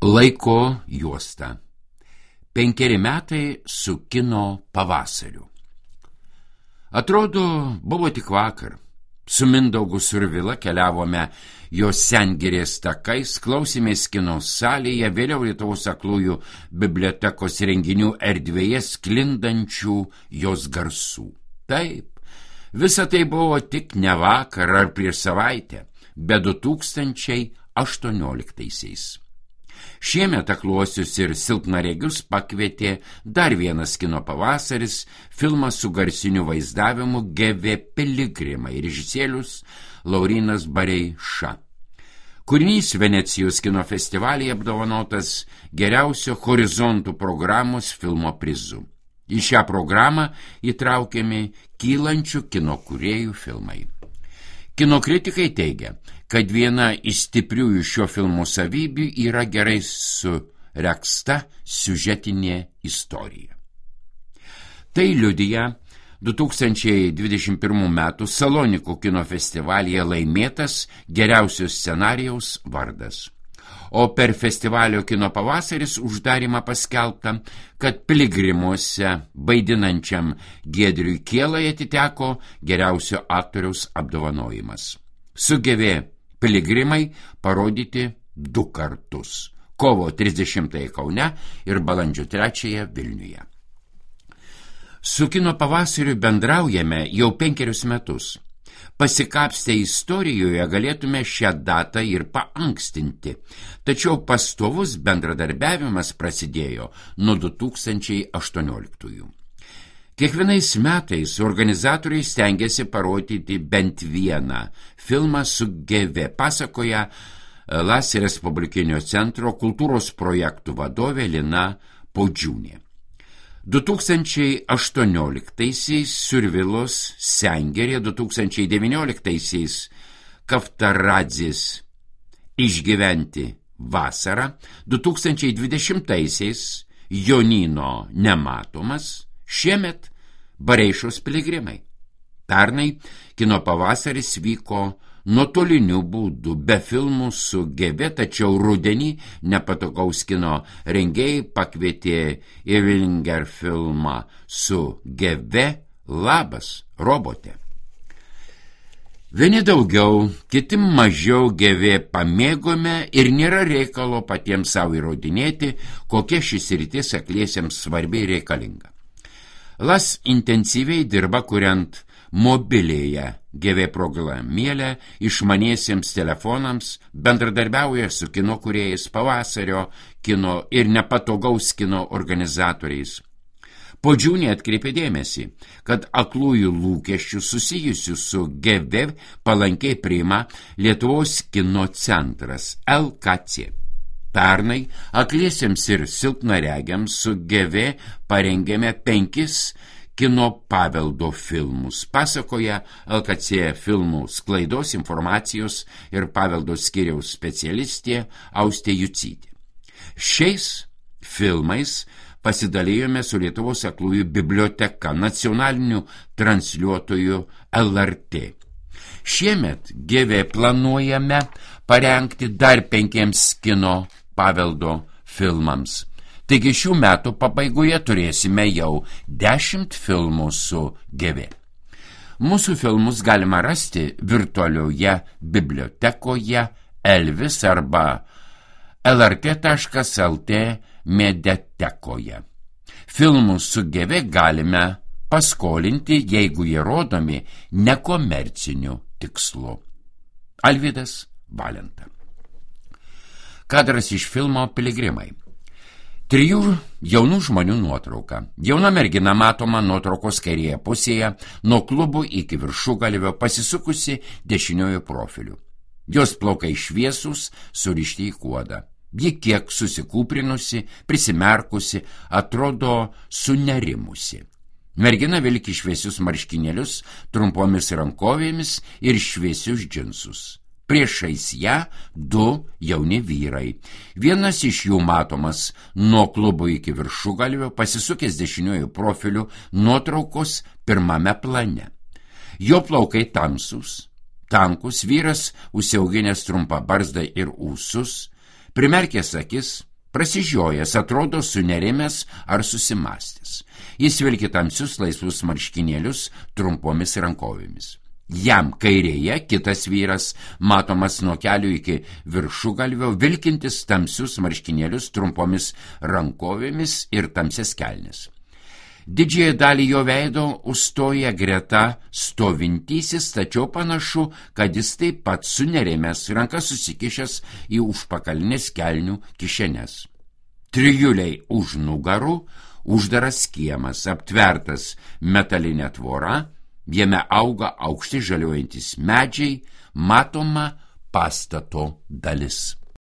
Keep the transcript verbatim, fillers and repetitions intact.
Laiko juosta. Penkeri metai su kino pavasariu. Atrodo, buvo tik vakar. Su Mindaugu Survila keliavome jos Sengirės takais, klausėmės kino salėje, vėliau Lietuvos aklųjų bibliotekos renginių erdvėje sklindančių jos garsų. Taip, visa tai buvo tik ne vakar ar prieš savaitę, bet du tūkstančiai aštuonioliktaisiais. Šiemet akluosius ir silpnaregius pakvietė dar vienas kino pavasaris, filmas su garsiniu vaizdavimu Gevė Piligrimai, režisierius Laurynas Bareiša. Kūrinys Venecijos kino festivalyje apdovanotas geriausio horizontų programos filmo prizu. Į šią programą įtraukiami kylančių kino kūrėjų filmai. Kino kritikai teigia, kad viena iš stipriųjų šio filmo savybių yra gerai suregzta siužetinė istorija. Tai liudija du tūkstančiai dvidešimt pirmų metų Salonikų kino festivalyje laimėtas geriausio scenarijaus vardas. O per festivalio kino pavasaris uždarimą paskelbta, kad Piligrimuose vaidinančiam Giedriui Kielai atiteko geriausio aktoriaus apdovanojimas. Sugevė Piligrimai parodyti du kartus – kovo trisdešimtąją Kaune ir balandžio trečiąją Vilniuje. Su kino pavasariu bendraujame jau penkerius metus. Pasikapstę istorijoje galėtume šią datą ir paankstinti, tačiau pastovus bendradarbiavimas prasidėjo nuo du tūkstančiai aštuonioliktųjų. Kiekvienais metais organizatoriai stengiasi parodyti bent vieną filmą su Gevė, pasakoja Las Respublikinio centro kultūros projektų vadovė Lina Podžiūnė. du tūkstančiai aštuonioliktaisiais Survilos Sengirė, du tūkstančiai devynioliktaisiais Kaftaradzės Išgyventi vasarą, du tūkstančiai dvidešimtaisiais Jonyno Nematomas, šiemet Bareišos Piligrimai. Pernai kino pavasaris vyko nuotoliniu būdu, be filmų su Gevė, tačiau rudenį nepatogaus kino rengėjai pakvietė Iringer filmą su Gevė Labas, robote. Vieni daugiau, kiti mažiau Gevė pamėgome ir nėra reikalo patiems savo įrodinėti, kokia šis rytis akliesiems svarbiai reikalinga. Las intensyviai dirba kuriant mobilėje Gevė programėlę išmaniesiems telefonams, bendradarbiauja su kino kūrėjais, pavasario kino ir nepatogaus kino organizatoriais. Podžiūnė atkreipė dėmesį, kad aklųjų lūkesčių susijusių su Gevė palankiai priima Lietuvos kino centras L K C. Pernai akliesiems ir silpnaregiams su Gevė parengėme penkis kino paveldo filmus, pasakoja L K C filmų sklaidos, informacijos ir paveldo skyriaus specialistė Austė Jucytė. Šiais filmais pasidalijome su Lietuvos aklųjų biblioteka, nacionaliniu transliuotoju L R T. Šiemet Gevė planuojame parengti dar penkiems kino paveldo filmams. Taigi šių metų pabaigoje turėsime jau dešimt filmų su Gevė. Mūsų filmus galima rasti virtualioje bibliotekoje Elvis arba L R T taškas L T mediatekoje. Filmus su Gevė galime paskolinti, jeigu jie rodomi nekomerciniu tikslu. Alvydas Valenta. Kadras iš filmo Piligrimai. Trijų jaunų žmonių nuotrauka. Jauna mergina matoma nuotraukos kairėje pusėje, nuo klubų iki viršugalvio pasisukusi dešiniojo profiliu. Jos plaukai šviesūs, surišti į kuodą. Ji kiek susikūprinusi, prisimerkusi, atrodo sunerimusi. Mergina vilki šviesius marškinėlius, trumpomis rankovėmis ir šviesius džinsus. Priešais ją du jauni vyrai. Vienas iš jų matomas nuo klubo iki viršugalvio, pasisukęs dešiniuoju profiliu nuotraukos pirmame plane. Jo plaukai tamsūs, tankus, vyras užsiauginęs trumpą barzdą ir ūsus, primerkęs akis, Prasižiojęs, atrodo sunerimęs ar susimastęs. Jis vilki tamsius laisvus marškinėlius trumpomis rankovėmis. Jam kairėje kitas vyras, matomas nuo kelių iki viršugalvio, vilkintis tamsius marškinėlius trumpomis rankovėmis ir tamsias kelnes. Didžiąją dalį jo veido užstoja greta stovintysis, tačiau panašu, kad jis taip pat sunerimęs, rankas susikišęs į užpakalinės kelnių kišenes. Trijuliai už nugarų, uždaras kiemas, aptvertas metalinė tvora, jame auga aukšti žaliuojantis medžiai, matoma pastato dalis.